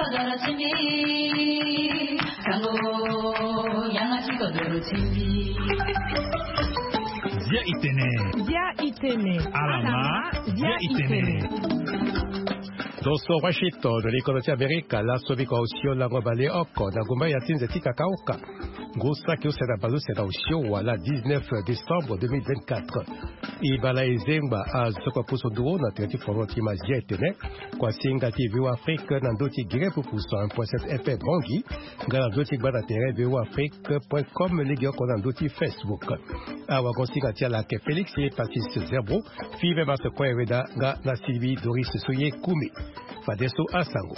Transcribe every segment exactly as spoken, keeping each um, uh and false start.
Zia itene. Zia itene. Alama. Zia itene. Toso Washington, likolo ti Amerika, laso biko osio lango bale oko na gumba ya ti nze ti kakaoka. Ngu saki use na bale use na osio wala dix-neuf décembre deux mille vingt-quatre. Ibala ezengba azoko pusu nduru na tere ti foro ti mazia etene. Kua singa ti Vivo Afrique na ndö ti gere pupu cent un point sept F M Bongi. Nga na ndö ti gba na tere Vivo Afrique point com, lege oko na ndö ti Facebook. Awagon singa ti ala ake Félix Pacis Zerbo, Five Marc Koyeweda nga na Sylvie Doris Soye Kumi. Fadeso asango.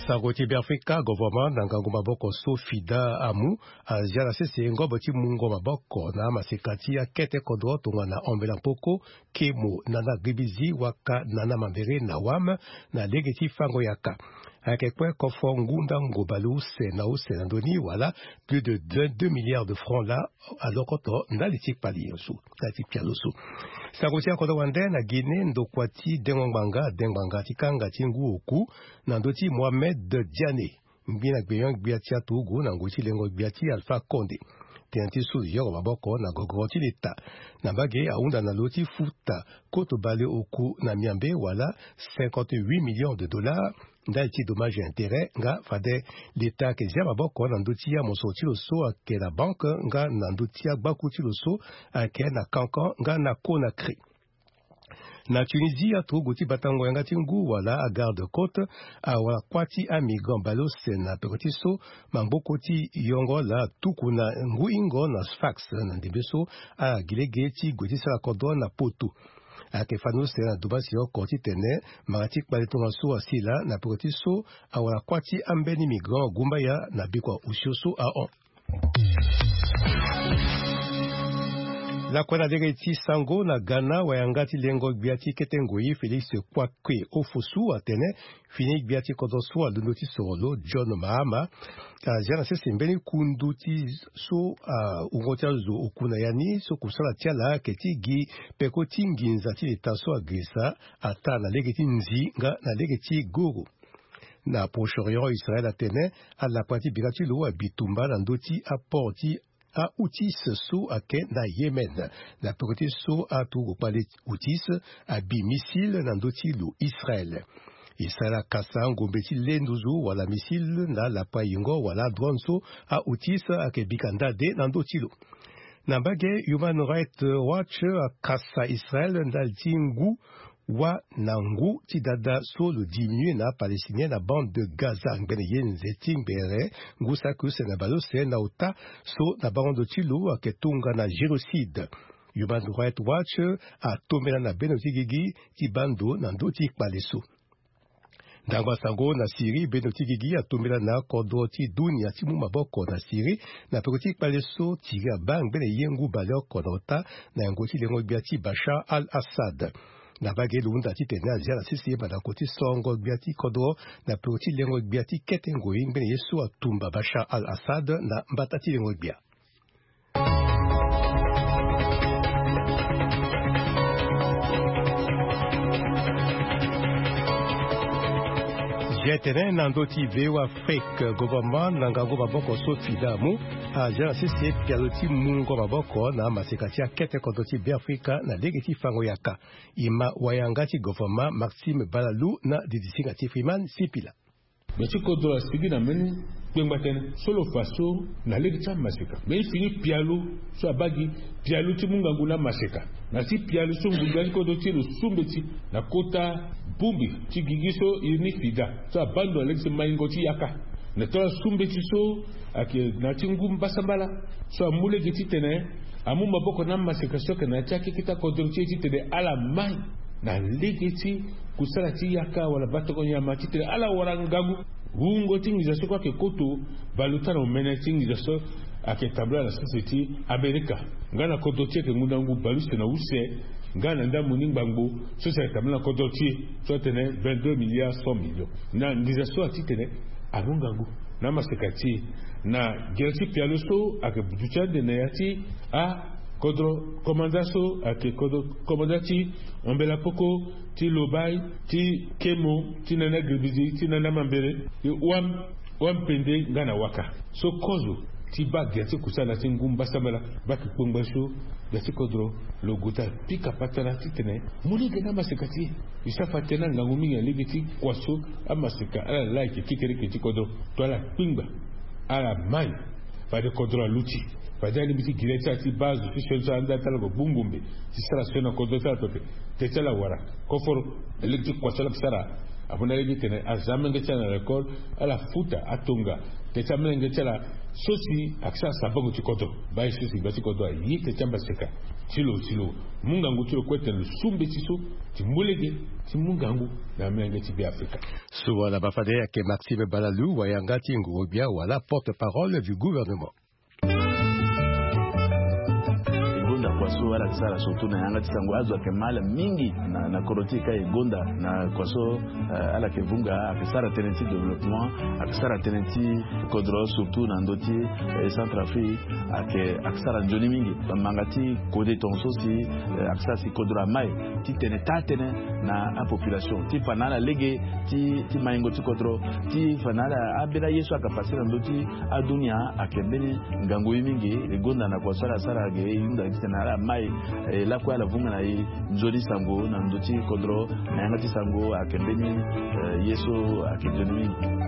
Sango ti Beafrika, gouvernement na ngangu maboko so FIDA amu, azia na sese ngombo ti mungo maboko na amaseka ti akete kodro tongana Ombela Mpoko, Kemo, Nana Gribizi, waka Nana Mambere na Wam, na lege ti fango yaka. Ayeke kue kofo ngu ndango baleuse na use na ndoni wala plus de deux milliards de francs laa alokoto ndali ti kpali so, ndali ti pialo so. Sango ti akodro wande na Guinée, ndokua ti dengo ngbanga adengo ngbanga ti kanga ti ngu oku na ndö ti Mohamed Diané, ngbi na gbenyo-gbia ti aturugu na ngoi ti lengo-gbia ti Alpha Condé. Tënë ti so yoro maboko na gogoro ti leta. Na mbage ahunda na lo ti futa koto bale oku na miambe wala cinquante-huit millions de dollars ndali ti dommage intérêt, nga fade leta ayeke zia maboko na ndö ti amosoro ti lo so ayeke na banque nga na ndö ti agbaku ti lo so ayeke na Cancan nga na Conakry. Na Tunisie, aturugu ti batango yanga ti ngu wala agarde côte awara kuâ ti amigrant baleuse na peko ti so maboko ti yongo laa atuku na ngu ingo na Sfax na ndembe so ala gi lege ti gue ti sara kodro na potu. Ayeke fani use na domasi oko titene mara ti kpale tongana so asila na peko ti so awara kuâ ti ambeni migrant gumbaya na bikua osio so ahon. Lakue na lege ti sango na Ghana, wayanga ti lengo-gbia ti kete ngoi Félix Kwakye Ofosu atene fini gbia ti kodro so alondo ti soro lo John Mahama azia na sese mbeni kundu ti so awungo ti azo oku na ya ni so kusala ti ala ayeke ti gi peko ti nginza ti leta so agirisa ataa na lege ti nzi nga na lege ti goro. Na Proche-Orient, Israël atene alapa ti bira ti lo abi tumba na ndö ti aport ti aHouthis so ayeke na Yémen. Na peko ti so aturugu kpale Houthis abi missile na ndö ti lo Israël. Israël akasa ngombe ti le nduzu wala missile na lapa yingo wala drone so aHouthis ayeke bika ndade na ndö ti lo. Na mbage, Human Rights Watch akasa Israël ndali ti ngu wâ na ngu ti dada so lo diminue na aPalestinien na bande de Gaza ngbene ye nze ti ngbere ngu saki use na baleuse na ota so na bango ndo ti lo ayeke tongana génocide. Human Rights Watch atombela na bendo ti gigi ti baa ndo na ndö ti kpale so. Ndangba sango na Syrie, bendo ti gigi atombela na kodro ti dunia ti mu maboko na Syrie na peko ti kpale so Syrie abaa ngbene ye ngu baleoko na ota na yango ti lengo gbia ti Bashar al-Assad. Na mbage lo hunda titene azia na sese mandako ti songo gbia ti kodro na peko ti lengo gbia ti kete ngoi ngbene ye so atumba Bashar al-Assad na mbata ti lengo gbia. Zia tene na ndö ti V O A Afrique, gouvernement na ngangu maboko so FIDA amu azia na sese pialo ti mungo maboko na maseka ti akete kodro ti Beafrika na lege ti fango yaka. E ma wayanga ti gouvernement Maxime Balalou na didi singa ti Freeman Sipila. Lo ti kodro asigi na mbeni kpengba tënë so lo fa so na lege ti amaseka mbeni fini pialo so abaa gi pialo ti mu ngangu na maseka. Na ya ti pialo so ngbongbia ti kodro ti e lo su mbeti na kota bongbi ti gigi so iri ni FIDA so abaa ndo na lege ti maingo ti yaka. Na taa la su mbeti so ayeke na ya ti ngu mbasambala so amu lege titene amu maboko na amaseka so ayeke na ya ti akeketa kodro ti e titene ala mai na lege ti kusala ti yaka wala batongo nyama titene ala wara ngangu. Wungo ti nginza so kue ayeke koto baleota na omene ti nginza so ayeke tambula na sese ti Amerika nga na kodro ti e ayeke ngu na ngu baleuse na use nga na ndambo ni ngbangbo so si ayeke tambula na kodro ti e so atene vingt-deux milliards cent millions. Na nginza so atitene amu ngangu na amaseka ti e na gere ti pialo so ayeke duti ande na ya ti a Kodro komanda so ayeke kodro komanda ti Ambela Poko, ti Lobai, ti Kemo, ti Nana Gribidi, ti Nana Mambere, ti Wam, Wampende nga na Waka. So kozo ti baa gia ti kusala ti ngu mbasambala, baa kikpongba so, gia ti kodro lo gue ti ala pika patara titene mu lege na amaseka ti e. E sara fa tënë na ngangu mingi na lege ti kua so amaseka ala laa ayeke kekereke ti kodro. To ala kpingba, ala mai. Fade kodro aluti. Fade alingbi ti giri ti ala ti baa zo ti sioni so ala nda ti ala gue gbu ngombe ti sara sioni na kodro ti ala pepe. Teti ala wara koforo na lege ti kua so ala yeke sara. Amu na lege ti tene aza amenge ti ala na lekole, ala futa atonga. Teti amenge ti ala so si ayeke sara sabango ti kodro. Baa ye so si gbia ti kodro aye teti amaseka ti lo, ti lo mu ngangu ti lo kue tene lo su mbeti so ti mu lege ti mu ngangu na amenge ti Beafrika. So wala bafade ayeke Maxime Balalou, wayanga ti nguru-gbia wala porte-parole du gouvernement. E gonda kua so ala yeke sara surtout na yanga ti sango, azo ayeke mal mingi na, na kodro ti e ka e gonda na kua so, eh, ala yeke vunga, ayeke sara tënë ti développement, ayeke sara tënë ti kodro surtout na ndö ti, eh, Centrafrique, ayeke, ayeke sara nzoni mingi. Bamanga ti kode tongaso si, eh, ayeke sara si kodro amai titene taa tënë na apopulation ti fa na ala lege ti, ti maingo ti kodro, ti fa na ala, ambeni aye so ayeke pase na ndö ti adunia ayeke mbeni ngangu ye mingi. E gonda na kua so ala sara ge, e hunda titene ala mai, eh, lakue ala vunga na e nzoni sango na ndö ti kodro, na yanga ti sango ayeke mbeni, eh, ye so ayeke nzoni mingi.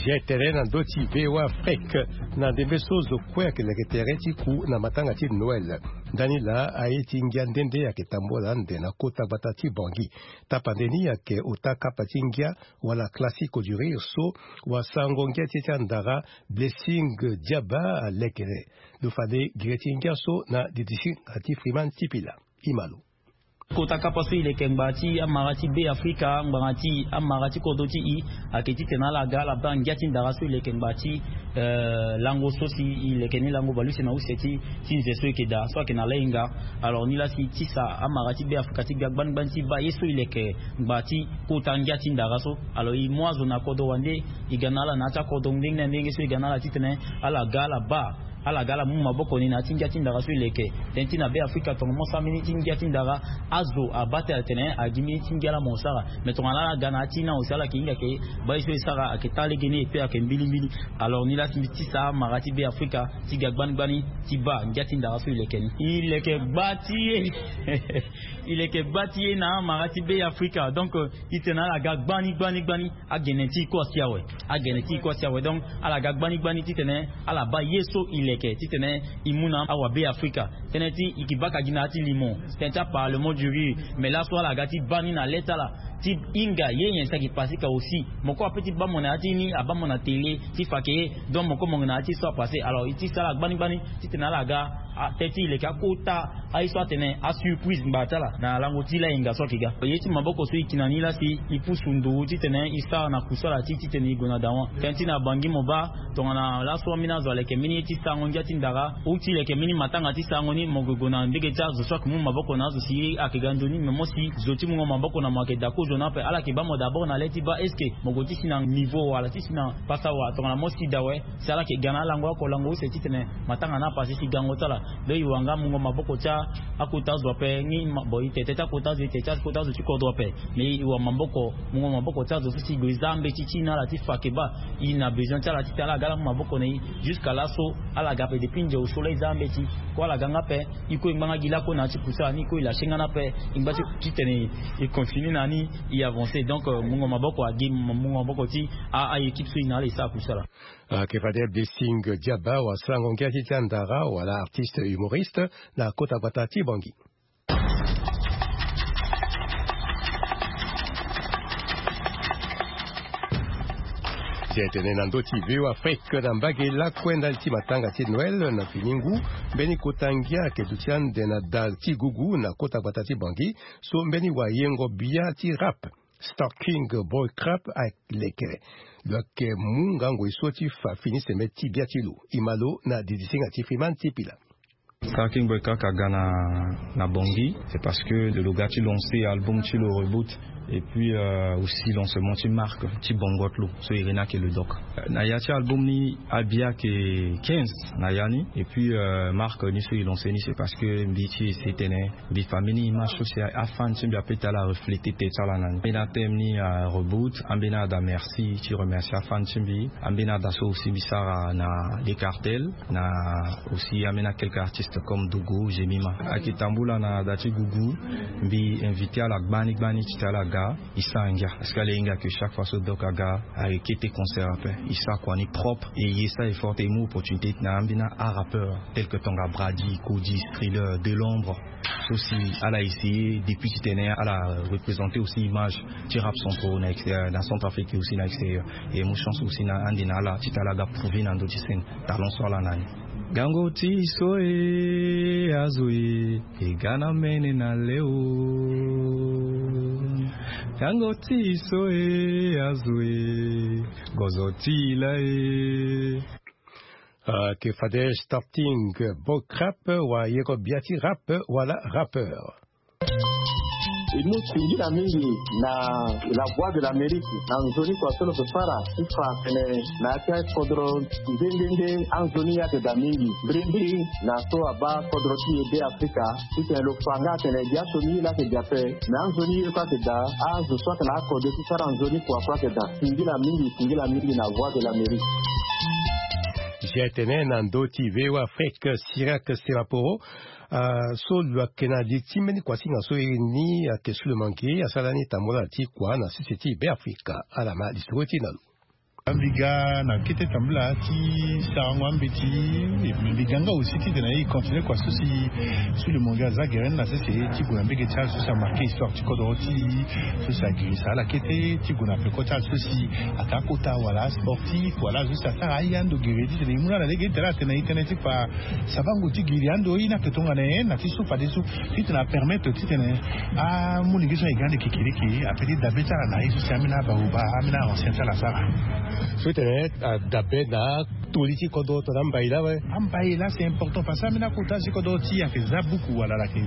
Zia tere na ndö ti V O A Afrique. Na ndembe so zo kue ayeke leke tere ti ku na matanga ti Noël. Ndani laa aye ti ngia nde nde ayeke tambula ande na kota gbata ti Bangui. Tapande ni ayeke ota kapa ti ngia wala Classico du Rire so wasango ngia ti e ti andara Blessing Diaba aleke. Lo fade gere ti ngia so na didisinga ti Freeman Sipila. E ma lo. Kota kapa so e leke ngba ti amara ti Beafrika, ngbanga ti amara ti kodro ti e ayeke titene ala ga ala baa ngia ti ndara so e leke ngba ti, eh, lango so si e leke ni lango baleuse na use ti, ti nze so e yeke daa so ayeke na lahinga. Alors ni laa si e tisa amara ti Beafrika ti ga gbani gbani ti baa ye so e leke ngba ti kota ngia ti ndara so. Alors e mu azo na kodro wande, e ga na ala na ya ti akodro ndenge na ndenge so e ga na ala titene ala ga ala baa, ala ga ala mu maboko ni na ya ti ngia ti ndara so e leke. Tënë ti na Beafrika tongaso ambeni ti ngia ti ndara, azo abaa tene atene agi mbeni ti ngia laa mo sara. Me tongana ala ga na ya ti na aussi ala yeke hinga ke baa ye so e sara ayeke taa lege ni et puis ayeke mbilimbili. Alors ni laa si mbi tisa amara ti Beafrika ti ga gbani gbani ti baa ngia ti ndara so e leke ni. E leke gba ti e. E leke gba ti e na amara ti Beafrika. Donc, euh, e tene ala ga gbani gbani gbani. Agene ti e kue asi awe. Agene ti e kue asi awe. Donc ala ga gbani gbani titene ala baa ye so e leke titene e mu na awabeafrika. Tënë ti e yeke baka gi na ya ti limo, tënë ti aparlement du rire. Mais laso ala ga ti baa ni na le ti ala ti hinga ye nyen si ayeke pase ka aussi. Mo kue ape ti baa mo na ya ti ni, abaa mo na télé ti fa ke ye. Donc mo kue mo yeke na ya ti so apase. Alors e ti sara gbani gbani titene ala ga, ah, tënë ti e leke akota aye so atene asurprise ngba ti ala na lango ti lahinga so ayeke ga. Ye ti maboko so e yeke na ni laa si e pusu ndo titene e sara na kusala ti e titene e gue na dawa. Tënë ti na Bangui mo baa tongana laso ambeni azo aleke mbeni ye ti sarango ngia ti ndara, ou ti leke mbeni matanga ti sarango ni, mo gue gue na ndege ti azo so ayeke mu maboko na azo si ye ayeke ga nzoni. Me mo si zo ti mungo maboko na mo ayeke daa kozo ni ape. Ala yeke baa mo d'abord na le ti baa est-ce que mo gue ti si na niveau wala ti si na pasa wa tongana mo si daa awe. Si ala yeke ga na alango oko lango use titene matanga ni apase si gango ti ala. Donc e wara nga mungo maboko ti akota azo ape ni. Bon, e tete ti akota azo, e tete ti akota azo ti kodro ape. Mais e wara maboko, mungo maboko ti azo so si e gue e za mbeti ti e na ala ti fa ke baa e na besoin ti ala titene ala ga ala mu maboko na e. Jusqu'à laso ala ga ape depuis nze osio laa e za mbeti. Kue ala ga nga ape. E kue e ngba nga gi lakue na ya ti kusala ni, e kue e lâcher nga ni ape. E ngba ti titene e continue na ni, e avancer. Donc, euh, mungo maboko agi, mungo maboko ti a, a équipe so e na ala e sara kusala. Ayeke fade Blessing Diaba wasarango ngia ti ti andara wala artiste humoriste na kota gbata ti Bangui. Ti e tene na ndö ti V O A Afrique na mbage lakue ndali ti matanga ti Noël na fini ngu, mbeni kota ngia ayeke duti ande na da ti gugu na kota gbata ti Bangui, so mbeni wayengo bia ti rap Stalking Boy Crap aleke. Lo yeke mu ngangu e so ti fa fini seme ti bia ti lo. E ma lo na didisinga ti Freeman ti Pila. Stalking Boy Crap aga na, na Bangui, c'est parce que lo ga ti lancer album ti lo Reboot. Et puis aussi lancement ti marque ti bongot lo so iri ni ayeke le doc. Na ya ti album ni abi ayeke quinze na ya ni. Et puis marque ni so e lancé ni c'est parce que mbi ti ese tene mbi fa mbeni image so si afan ti mbi ape ti ala areflété tête ti ala na ni. Ambeni athème ni areboot, ambeni ada merci ti remercier afan ti mbi. Ambeni ada so aussi mbi sara na les cartels na aussi ambeni akelke artiste comme Dogo, Jemima. Ayeke tambula na da ti gugu. Mbi invité ala gbani gbani ti tene ala ga. E sara ngia parce que ala hinga ke chaque fois so doc aga, ayeke kete concert ape. E sara kua ni propre. E ye sara effort ti e mu opportunité ti tena ambeni arapeur tel que Tonga, Brady, Cody, Thriller, De l'ombre. So si ala essayer depuis ti tene ala représenté aussi image ti rap centraux na extérieur, na Centrafrique aussi na extérieur. E mu chance aussi na ande na ala ti tene ala ga prouver na ndö ti scène talent so ala na ni. Gango ti so e azo e e ga na mene na leo. Gango ti so e azo e gozo ti la e. Ayeke fade starting book rap wala yeko bia ti rap wala rappeur. E mu singila mingi na La Voix de l'Amérique na nzoni kua so lo yeke sara ti fa tene na ya ti akodro nde nde nde anzoni ye ayeke daa mingi mbirimbiri na so abaa kodro ti e Be Afrika. Titene lo fa nga atene gi aso ni ye laa ayeke daa ape me anzoni ye kue ayeke daa. Azo so atene akode ti sara nzoni kua kue ayeke daa. Singila mingi, singila mingi na Voix de l'Amérique. G T N na ndö ti V O A Afrique, Cyriaque Semaporo. Ah, so lo yeke na li ti mbeni kuasinga so iri ni ayeke Sous le Mangue, asara ni tambula ti kua na sese ti Be Afrika. Ala ma lisoro ti e na lo. Mbi ga na kete tambula ti sarango ambeti. Mbi ga nga aussi titene e continue kua so si Sous le Mangue aza gere ni na sese ti gue na mbege ti ala so si amarqué histoire ti kodro ti e, so si agirisa ala kete ti gue na peko ti ala so si ata akota wala asportif wala azo so si asara aye ando gere titene e mu na ala lege ti tene atene e tene ti fa sabango ti giri ando ye ni ayeke tongana nyen na ti so fadeso titene apermettre titene amu lege so ayeke ande kekereke ape ti dabe ti ala na ye so si ambeni abaoba ambeni a-ancien ti ala asara. So tene adabe na toli ti kodro tongana ambai laa awe. Ambai laa c'est important parce que ambeni akota ti kodro ti e ayeke za buku wala ala yeke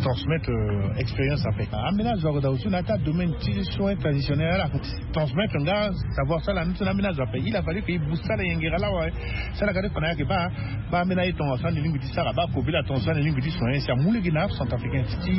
transmettre expérience ape. Ambeni azo ayeke daa aussi na ya ti adomaine ti soin traditionnel ala transmettre nga savoir so ala ni so na ambeni azo ape. Il a fallu que e booster ala yengere laa awe. So ala ga ti fa na ya ayeke baa baa ambeni aye tongaso ande lingbi ti sara baa kobela tongaso ande lingbi ti soigner si amu lege na acentrafricain ti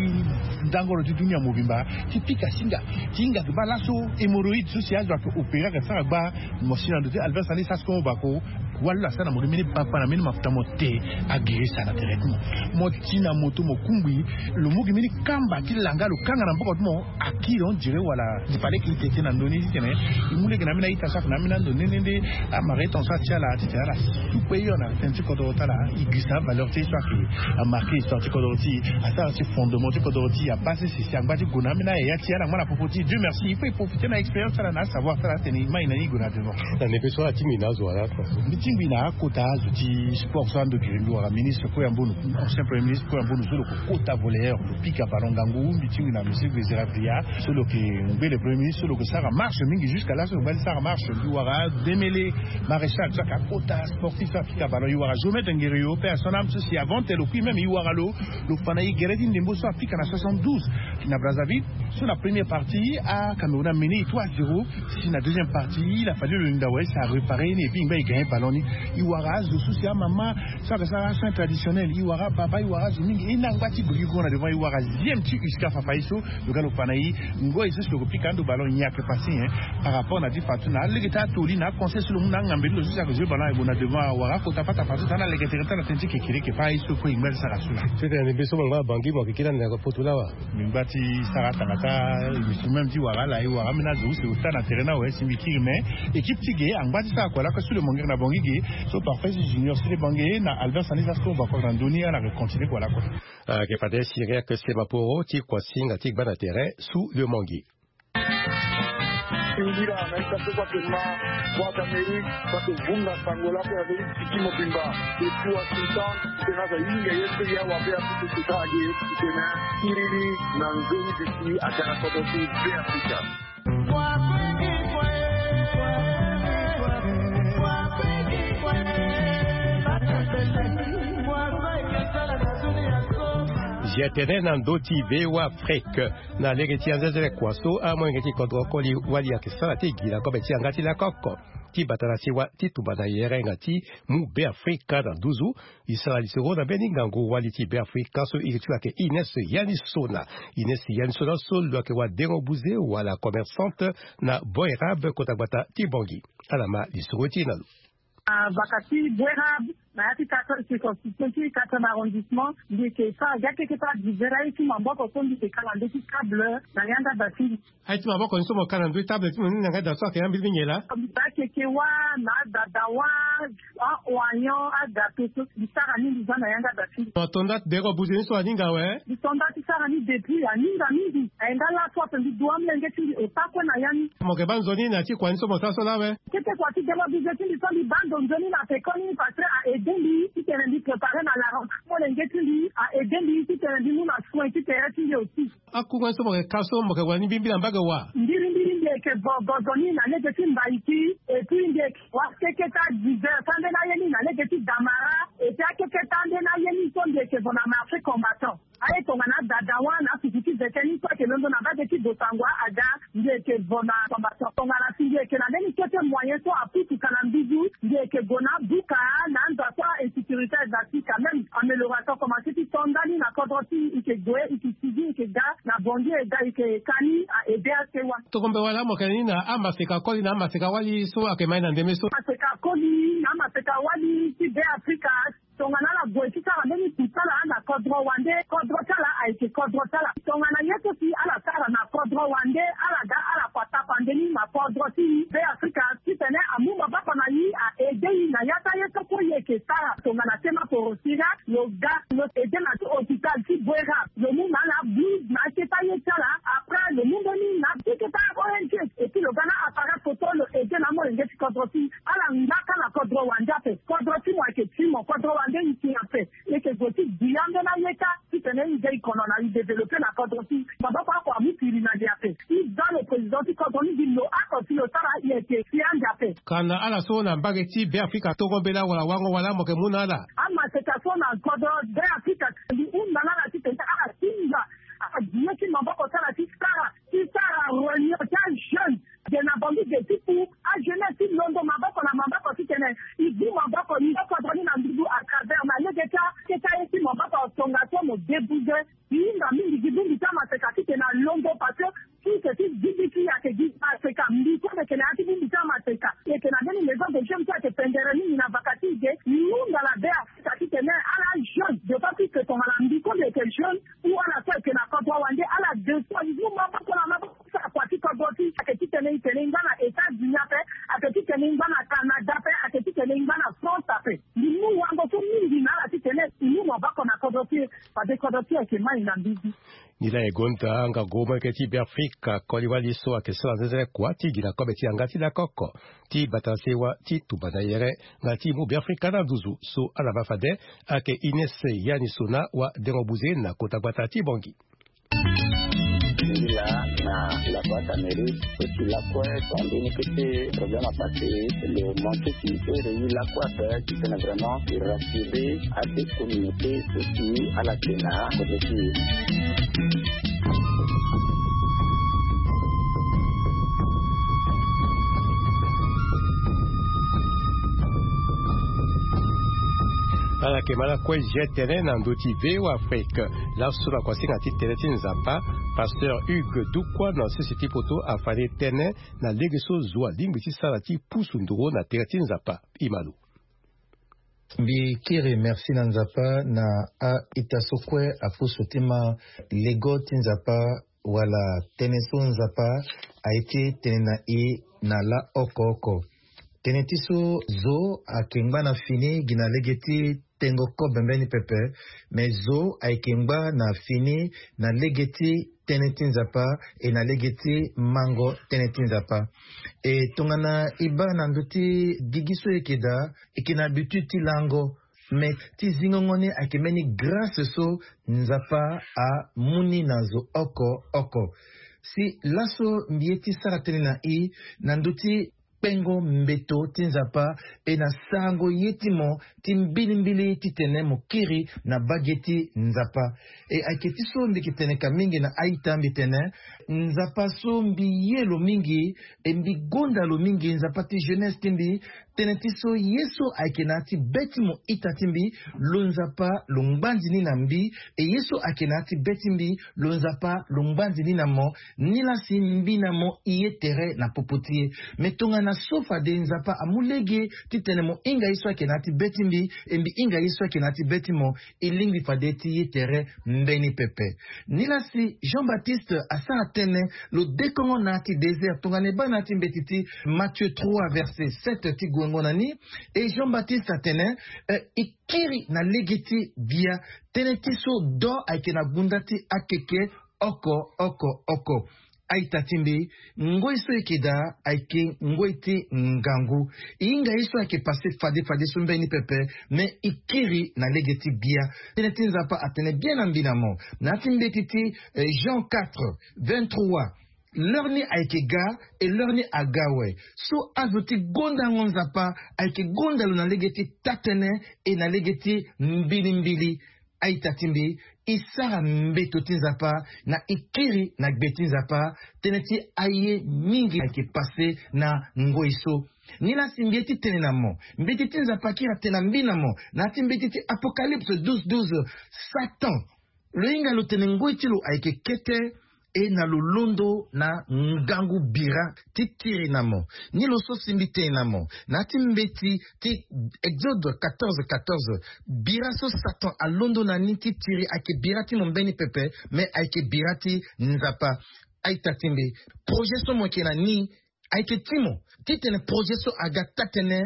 ndangoro ti dunia mobimba ti pika singa ti hinga ayeke baa laso hémorroïde so si azo ayeke opéré ayeke sara gbaa. Mo si na ndo ti Albert Sani Sasco Bako. Wala lo asara na mo gi mbeni bakpa na mbeni mafuta mo te agirisa na tere ti mo. Mo ti na moto mo kungbi lo mu gi mbeni kamba ti langa lo kanga na mboko ti mo. Akiri on dirait wala. Fallait que e tete na ndö ni titene e mu lege na ambeni a-ita so ayeke na ambeni ando nde nde nde amara ye tongaso atia ala titene ala supe hio na tënë ti kodro ti ala. E girisa avaleur ti e so ayeke amarqué histoire ti kodro ti e asara ti fondement ti kodro ti e abaa sese si angba ti gue na ambeni ayaya ti e ala ngba na popo ti e. Dieu merci il faut e profiter na expérience ti ala na asavoir ti ala atene e mai na ni e gue na devant. Na ndembe so ala tingbi na azo wala? Mbi tingbi na akota azo ti sport so ando gere mbi wara ministre Koya Mbonu, ancien premier ministre Koya Mbonu so lo yeke kota voleur lo pika ballon ngangu. Mbi tingbi na monsieur Grézera Bria so lo yeke ngbele premier ministre so lo yeke sara marche mingi jusqu'à là so lo ngba ti sara marche. Mbi wara Demele Maréchal so ayeke akota sportif so apika ballon. E wara Géomètre Ngereyo paix à son âme so si avant te lo kui même e wara lo. Lo fa na e gere ti ndembo so apika na soixante-douze na Brazzaville. So na première partie aCameroun amene e trois zéro. Si na deuxième partie il a fallu lo linda wai si aréparé ni et puis e ngba e gagné ballon ni. E wara azo so si amama so ayeke sara asoin traditionnel. E wara ababa e wara azo mingi e na ngba ti gbe gi gongo na devant e wara zième ti uska fafa ye so. Lo ga lo fa na e ngoi so si lo yeke pika ando ballon nyen ayeke passé hein. Par rapport na ti fa so na alege ti atoli na aconseil so lo mu na angambeli lo so si ayeke joué ballon ayeke gue na devant awara akota fata fa so tana aleke tere ti ala tënë ti kekereke fa ye so kue e ngba ti sara so laa. Titene mbi so mo ngba bangi mo yeke kiri ande na poto laa wa. Mbi ngba ti sara atanga ti instrument ti wara ala e wara ambeni azo use ota na tere ni awe si mbi kiri me équipe ti ge angba ti sara kua lakue sous le mangue na bangi ge. So parfait si junior sele bangi na Albert Sani Sasco Bako na ndö ni ala yeke continué kua lakue. Ayeke fade Cyriaque Semaporo ti kuasinga ti gba na tere sous le mangue. Singila na ita so kue atene ma Voix d'Amérique. Bake vunga sango lakue avec tiki mobimba. Depuis Washington tena aza hinga ye so ya wabe apupu sita age. Tena kiriri na nzoni bisi agara kodo ti Be Afrika. Ye tene na ndö ti V O A Afrique, na lege ti anzenzele kua so amolenge ti kodro koli wali ayeke sara ti gi na kobe ti yanga ti lakoko ti bata na sewa ti tumba na yerenga ti mu Beafrika na nduzu. E sara lisoro na mbeni ngangu wali ti Beafrika so iri ti lo ayeke Ines Yanisona. Ines Yanisona so lo ayeke wadengo buze wala commerçante na Boerab, kota gbata ti Bangui. Ala ma lisoro ti e na lo. Ah, baka ti Boerab, na ya ti quatre, circonscription ti quatrième arrondissement, mbi yeke sara gi akeketa divers aye ti maboko so mbi yeke ka na ndö ti table na yanga da ti mbi. Aye ti maboko ni so mo ka na ndö ti table ti mo ni na yanga da so ayeke ambeni mingi laa? Mbi baa keke wâ, na adada wâ, a-oignon, agâteau so mbi sara ni mbi za na yanga da ti mbi. Mo to nda ti deko buze ni so aninga awe? Mbi to nda ti sara ni depuis aninga mingi. Aye nga laso ape mbi du amolenge ti mbi ota kue na ya ni. Mo yeke baa nzoni na ya ti kua ni so mo sara so laa awe? Kete kua ti dema buze ti mbi so mbi baa ndo nzoni na pekoni parce que a aidé mbi titene mbi préparer na la rentrée. Molenge ti mbi a aidé mbi titene mbi mu na soin ti tere ti mbi aussi. Akunga ni so mo yeke ka so mo yeke wani mbirimbiri na mbage wa? Mbirimbiri mbi yeke vo gozo ni na lege ti mbaiki. Et puis mbi yeke wa keketa divers ande na ye ni na lege ti damara. Et puis akeketa ande na ye ni so mbi yeke vo na marché combattant. Aye tongana adada wâ na afufu ti vete ni so ayeke londo na mbage ti Bossangoa aga, mbi yeke vo na combattant. Tongana si mbi yeke na mbeni kete moyen so apusu ka na mbizu, mbi yeke gue na abuka na anza so a-insécurité aza ti quand même amélioration commencé ti to ndani na kodro ti e. E yeke gue, e yeke sigi, e yeke ga na Bangui, e ga e yeke ka ni a aidé asewa. Tongombe wala mo yeke na ni na amaseka koli na amaseka wali so ayeke ma e na ndembe so? Amaseka koli na amaseka wali ti Beafrika. Tongana ala gue ti sara mbeni kusala na kodro wande, kodro ti ala ayeke kodro ti ala. Tongana ye so si ala sara na kodro wande, ala ga ala kua tapande ni na kodro ti Beafrika titene amu maboko na e, a aidé e na ya ti aye so kue e yeke sara. Tongana tema porosi laa, lo ga lo aidé na ti hôpital ti Boerab, lo mu na ala blouse na akete aye ti ala. Après lo mu mbeni na akete a-O N G, et puis lo ga na appareil photo, lo aidé na amolenge ti kodro ti e. Ala ngba ka na kodro wande ape. Kodro ti mo ayeke ti mo, kodro wande e ti ape. E yeke zo ti gbi ambeni aye kâ titene e ga e kono na e développé na kodro ti e. Maboko oko amu piri na li ape. E za lo président ti kodro ni gi lo oko si lo sara, e yeke si ande ape. Ka na ala so na mbage ti Beafrika tongombe laa wala wango wala mo yeke mu na ala? Amaseka so na kodro Beafrika, mbi hunda na ala titene ala tinda, ala gi ye ti maboko ti ala ti sara, ti sara réunion ti ajeune. Ge na Bangui ge ti pu, ajeunesse ti londo maboko na maboko titene e bu maboko, e yeke kodro ni na nduzu à travers na lege ti akete aye ti maboko tongaso mo débouze. E hinga mingi gi bongbi ti amaseka titene alondo parce que source ti zibi ti e ayeke gi maseka. Mbi so mbi yeke na ya ti bongbi ti amaseka, e yeke na mbeni maison de jeunes so ayeke pendere mingi na vaka ti e ge. E hunda na Beafrika titene ala jeune, d'autant plus que tongana mbi so mbi yeke jeune, ou ala so ayeke na kodro wande, ala deux fois, e mu maboko na maboko. Sa kua ti kodro ti e ayeke titene e tene e ngba na États-Unis ape, ayeke titene e ngba na Canada ape, ayeke titene e ngba na France ape. Mbi mu wango so mingi na ala titene e mu maboko na kodro ti e, fade kodro ti e ayeke mai na mbizi. Nilaa e gonda ngangu molenge ti Beafrika koli wali so ayeke sara nzenzele kua ti gi na kobe ti yanga ti lakoko ti bata na sewa ti tumba na yere nga ti mu Beafrika na nduzu so ala ma fade ayeke Ines Yanisona, wadengo buze na kota gbata ti Bangui. Ngi laa na la boîte à mérite, so si lakue so ambeni kete problème apassé, lo manqué si e réunir lakue ape titene vraiment e rassurer ade communauté so si ala yeke na kodro ti e. Ala yeke ma lakue zia tënë na ndö ti V O A Afrique. Laso na kuasinga ti tënë ti Nzapa, pasteur Hugues Dukwa na sese ti poto afa ni tënë na lege so zo alingbi ti sara ti pusu nduru na tere ti Nzapa. E ma lo. Mbi kiri merci na Nzapa na a-ita so kue apusu ti ma lego ti Nzapa wala tënë so Nzapa aye ti tene na e na laa oko oko. Tënë ti so zo ayeke ngba na fini gi na lege ti tengo kobe mbeni pepe, me zo ayeke ngba na fini na lege ti tënë ti Nzapa, e na lege ti mango tënë ti Nzapa. E tongana e baa na ndö ti gigi so e yeke daa, e yeke na habitude ti lango, me ti zingongo ni ayeke mbeni grâce so Nzapa amu ni na zo oko oko. Si laso mbi ye ti sara tënë na e na ndö ti pengo mbeto ti Nzapa, e na sarango ye ti mo ti mbilimbili titene mo kiri na bage ti Nzapa. E ayeke ti so mbi yeke tene ka mingi na a-ita, mbi tene Nzapa so mbi ye lo mingi, e mbi gonda lo mingi, Nzapa ti jeunesse ti mbi, tënë ti so ye so ayeke na ya ti be ti mo ita ti mbi, lo Nzapa lo ngbandi ni na mbi. E ye so ayeke na ya ti be ti mbi, lo Nzapa lo ngbandi ni na mo. Nilaa si mbi na mo e ye tere na popo ti e. Me tongana so fade Nzapa amu lege titene mo hinga ye so ayeke na ya ti be ti mbi, e mbi hinga ye so ayeke na ya ti be ti mo, e lingbi fade ti ye tere mbeni pepe. Nilaa si Jean-Baptiste asara tënë, lo dekongo na ya ti désert, tongana e baa na ya ti mbeti ti Matthieu trois verset sept ti guengo na ni. E Jean-Baptiste atene, eh, e kiri na lege ti gbia. Tënë ti so do ayeke na gunda ti akeke oko oko oko. A-ita ti mbi, ngoi so e yeke daa ayeke ngoi ti ngangu. E hinga ye so ayeke pase fade fade so mbeni pepe, me e kiri na lege ti gbia. Tënë ti Nzapa atene bien na mbi na mo na ya ti mbeti ti, eh, Jean quatre vingt-trois, l'heure ni ayeke ga, e l'heure ni aga awe. So azo ti gondango Nzapa ayeke gonda lo na lege ti taa-tënë, e na lege ti mbilimbili. A-ita ti mbi, e sara mbeto ti Nzapa na e kiri na gbe ti Nzapa, tënë ti aye mingi ayeke pase na ngoi so. Nilaa si mbi ye ti tene na mo, mbeti ti Nzapa akiri atene na mbi na mo na ya ti mbeti ti Apocalypse douze douze, Satan, lo hinga lo tene ngoi ti lo ayeke kete, e na lo londo na ngangu bira ti tiri na mo. Ni lo so si mbi tene na mo na ya ti mbeti ti Exode quatorze quatorze, bira so Satan alondo na ni ti tiri ayeke bira ti mo mbeni pepe, me ayeke bira ti Nzapa. A-ita ti mbi, projet so mo yeke na ni ayeke ti mo, titene projet so aga taa-tënë,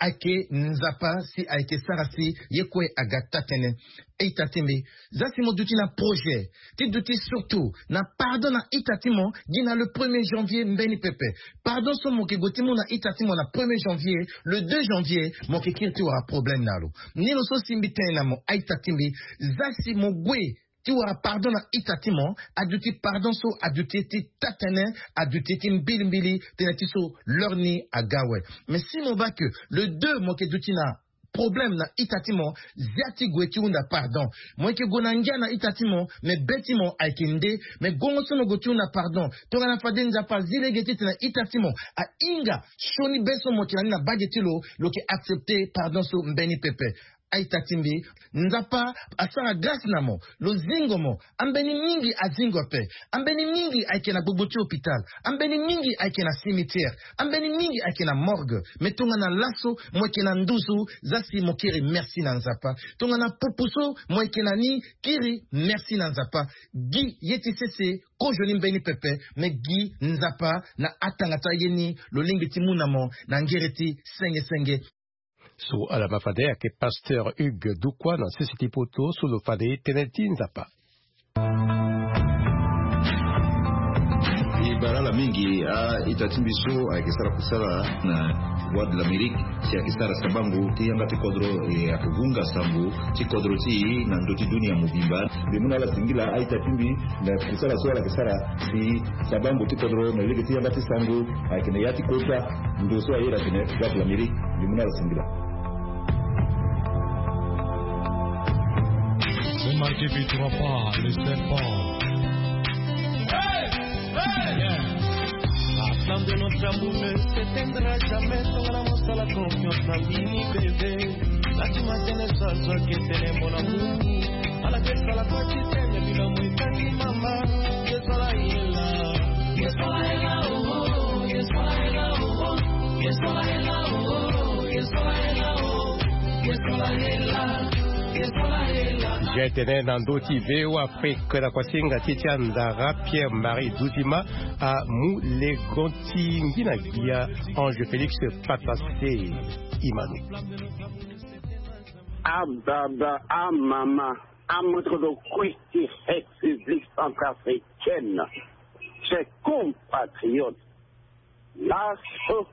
ayeke Nzapa si ayeke sara si ye kue aga taa-tënë. A-ita ti mbi, za si mo duti na projet ti duti surtout na pardon na ita ti mo, gi na le premier janvier mbeni pepe. Pardon so mo yeke gue ti mu na ita ti mo na premier janvier, le deux janvier mo yeke kiri ti wara problème na lo. Ni lo so si mbi tene na mo, a-ita ti mbi, za si mo gue ti wara pardon na ita ti mo, aduti pardon so aduti ye ti taa-tënë, aduti ye ti mbilimbili, tënë ti so l'heure ni aga awe. Mais si mo baa que le deux mo yeke duti na problème na ita ti mo, zia ti gue ti hunda pardon. Mo yeke gue na ngia na ita ti mo, mais be ti mo ayeke nde. Mais gongo so mo gue ti hunda pardon, tongana fade Nzapa azi lege titene ita ti mo ahinga sioni be so mo yeke na ni na bage ti lo, lo yeke accepter pardon so mbeni pepe. A-ita ti mbi, Nzapa asara grâce na mo, lo zingo mo. Ambeni mingi azingo ape. Ambeni mingi ayeke na gbogbo ti hôpital. Ambeni mingi ayeke na cimetière. Ambeni mingi ayeke na morgue. Mais tongana laso mo yeke na nduzu, za si mo kiri merci na Nzapa. Tongana pupu so mo yeke na ni, kiri merci na Nzapa. Gi ye ti sese kozoni mbeni pepe, mais gi Nzapa na atanga ti aye ni lo lingbi ti mu na mo na ngere ti senge senge. So ala ma fade ayeke pasteur Hugues Dukwa na sese ti poto so lo fade tënë ti Nzapa. E bara ala mingi a-ita ti mbi so ayeke sara kusala na Voix de l'Amérique, si ayeke sara sabango ti yanga ti kodro, e ayeke vunga sango ti kodro ti e na ndö ti dunia mobimba. Mbi mu na ala singila a-ita ti mbi na kusala so ala yeke sara si sabango ti kodro na lege ti yanga ti sango ayeke na ya ti kota ndo so aye na tene Voix de l'Amérique. Mbi mu na ala singila. Ne marquez pas, ne sert pas. La flamme de notre amour ne s'éteindra jamais. Tongana mosala confiance na bini bébé. Laki matene so azwaki etene mona moni. Ala ke sala kwa titene bila mo etangi mama. Yesu ala yela. Yesu ala yela, oh, oh, Yesu ala yela, oh, oh. Yesu ala yela, oh, oh, Yesu ala yela, oh, oh. Yesu ala yela. Yesu ala yela. Ge tene na ndö ti V O A Afrique na kuasinga ti ti andara Pierre Marie Dudima amu legon ti ngi na gbia Ange Félix Patassé Imano. Ababa, amama, amoto do kui ti République centrafricaine, chers compatriotes, laso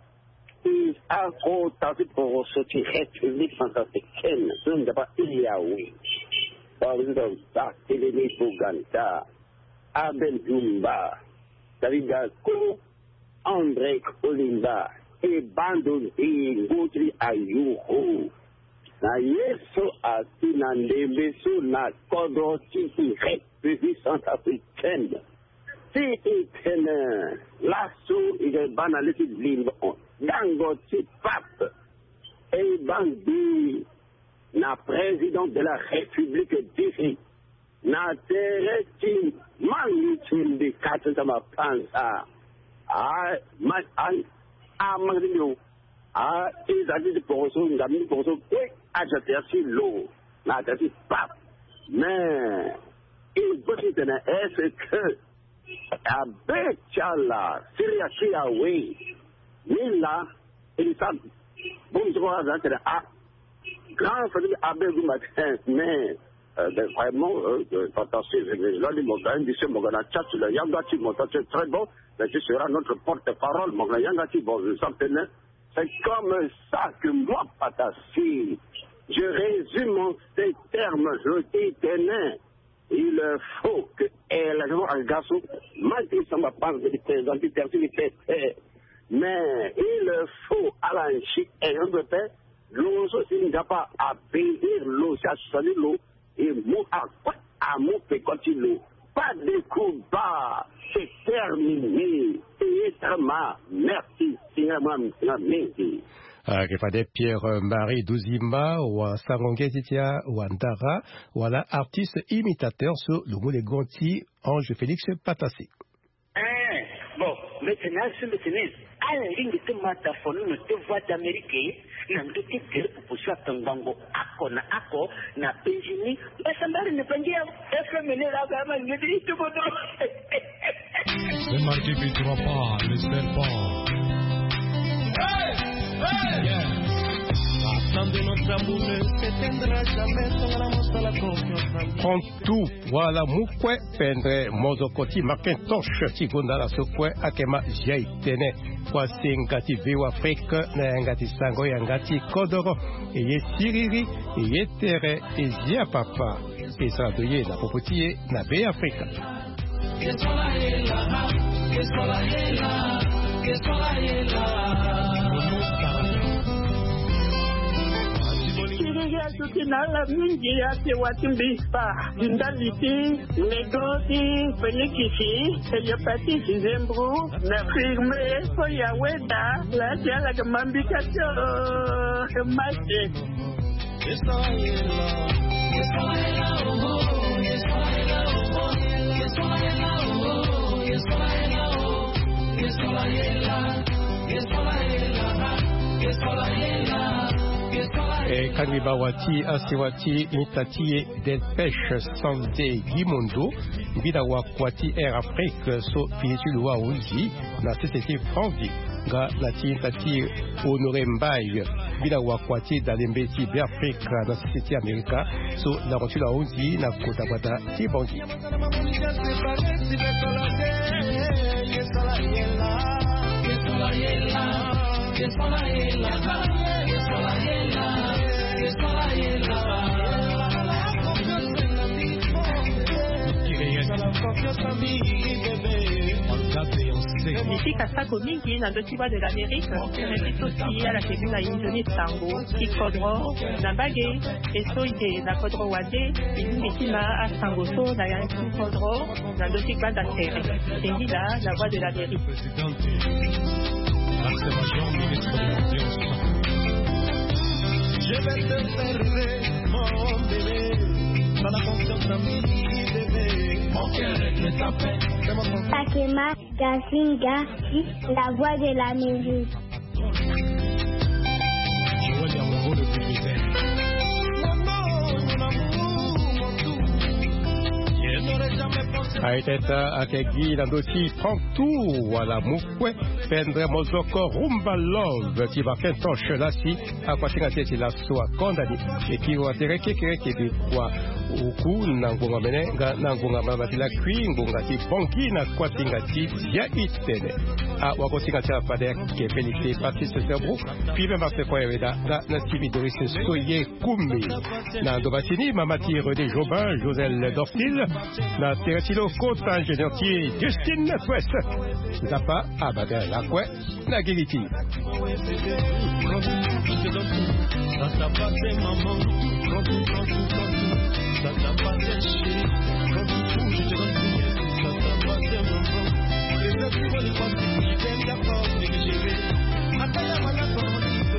ti akota ti poroso ti République centrafricaine so Nzapa aye awe. Président Barthélémy Boganda, Abel Dioumba, David Daco, André Kolimba, E baa ndo nzingo ti ayuru na ye so asi na ndembe so na kodro ti République centrafricaine. Si e tene laso e yeke baa na le ti limbo gango ti pape. E baa ngbii na président de la République d'ici na tere ti mangi ti mbi kati ti mapanza. A ma a a mangi ti mbi o. A ti za ti ti poroso ngam ti poroso kue. Aza tere ti lo na tere ti pape. Mais il faut ti tene est-ce que abe ti ala siri ya ti awe ni la? Iri sa bongbi ti kua aza tene a grand famille abe gumba te mais vraiment fantastique. Lani mo ga indi se mo ga na chat la yanga ti mo ta c'est très bon. Mais ce sera notre porte-parole mo ga na yanga ti bon je sens tene c'est comme ça que moi patasi je résume en ces termes. Je dis tene il faut que élection aga so ma ti samba panze de président ti terti de pete. Mais il faut ala nsi élection de paix. Lo so si nzapa abénir lo si asali lo e mu akue amu peko ti lo. Pas de combat. C'est terminé. Payé très mal. Merci seigneur. Moi msinga mingi. Ayeke fade Pierre Marie Duzimba wa sango nge ti ti awandara wala artiste imitateur so lo mu le grand ti Ange Félix Patasi. Eh, bon, mbi tene azo mbi tene alingbi ti ma dafonono ti Voix d'Amérique na ndö ti tere popo so akangbango oko na oko na penzi ni. Mbasambari ni pangi ya F M ni la ka ma ngeti itukoto. Ne marquez pas, ne sert pas. Attendez, notre amour ne s'éteindra jamais. Prends tout. Wala mu kue pendre mozoko ti Macintosh ti gonda laso kue akema zia e tene. Kua senga ti Veo Afrique na yanga ti sango yanga ti kodoro. E ye siriri, e ye tere, e zia papa. E sara ndo ye na popo ti e na Be Afrika. Siriri azo ti na ala mingi ate wa ti mbi pa. Ndali ti nego ti Felikisi, hepatite, zembro na firme. Fo ya weda la ti ala ke mambika ti o mate. E kangbi bawa ti asewa ti mita ti e Delpech Sande Gimondo, mbi na wakua ti Air Afrique so fini ti lo ahunzi na sese ti Franvi, nga na ti hinda ti Honoré Mbaye, mbi na wakua ti dalembe ti Be Afrika na sese ti Amerika so lango ti lo ahunzi na kota gbata ti Bangui. Mbi sika sako mingi na ndö ti Voix de l'Amérique, mbi ti so si ala ke bi na inzo ni sango ti kodro na mbage. E so e yeke na kodro wande, e lingbi ti ma asango so na yanga ti kodro na ndö ti gbanda tere. E ngi laa na Voix de l'Amérique. Sakema Gasinga, la Voix de l'Amérique. Aye teta ayeke gi na ndö ti prend tout wala mu kue. Pendre mozoko rumba love ti Macintosh lasi akua ti hinga ti e ti laso akonda ni. E kiri wa tere kekereke mbi kua oku na ngonga mene nga na ngonga mama ti lakui ngonga ti Bangui na kua ti hinga ti zia itene. Awako ti hinga ti ala fade ayeke Félix Baptiste Sebro. Puis même afeko ya weda nga na Stevie Doris Soye Kumi. Na ndo basi ni mama ti René Jobin, Joselle Dorcil. Na tere ti lo kota ingénieur ti Justine Twes. Nzapa abadala. Kue na gigi ti.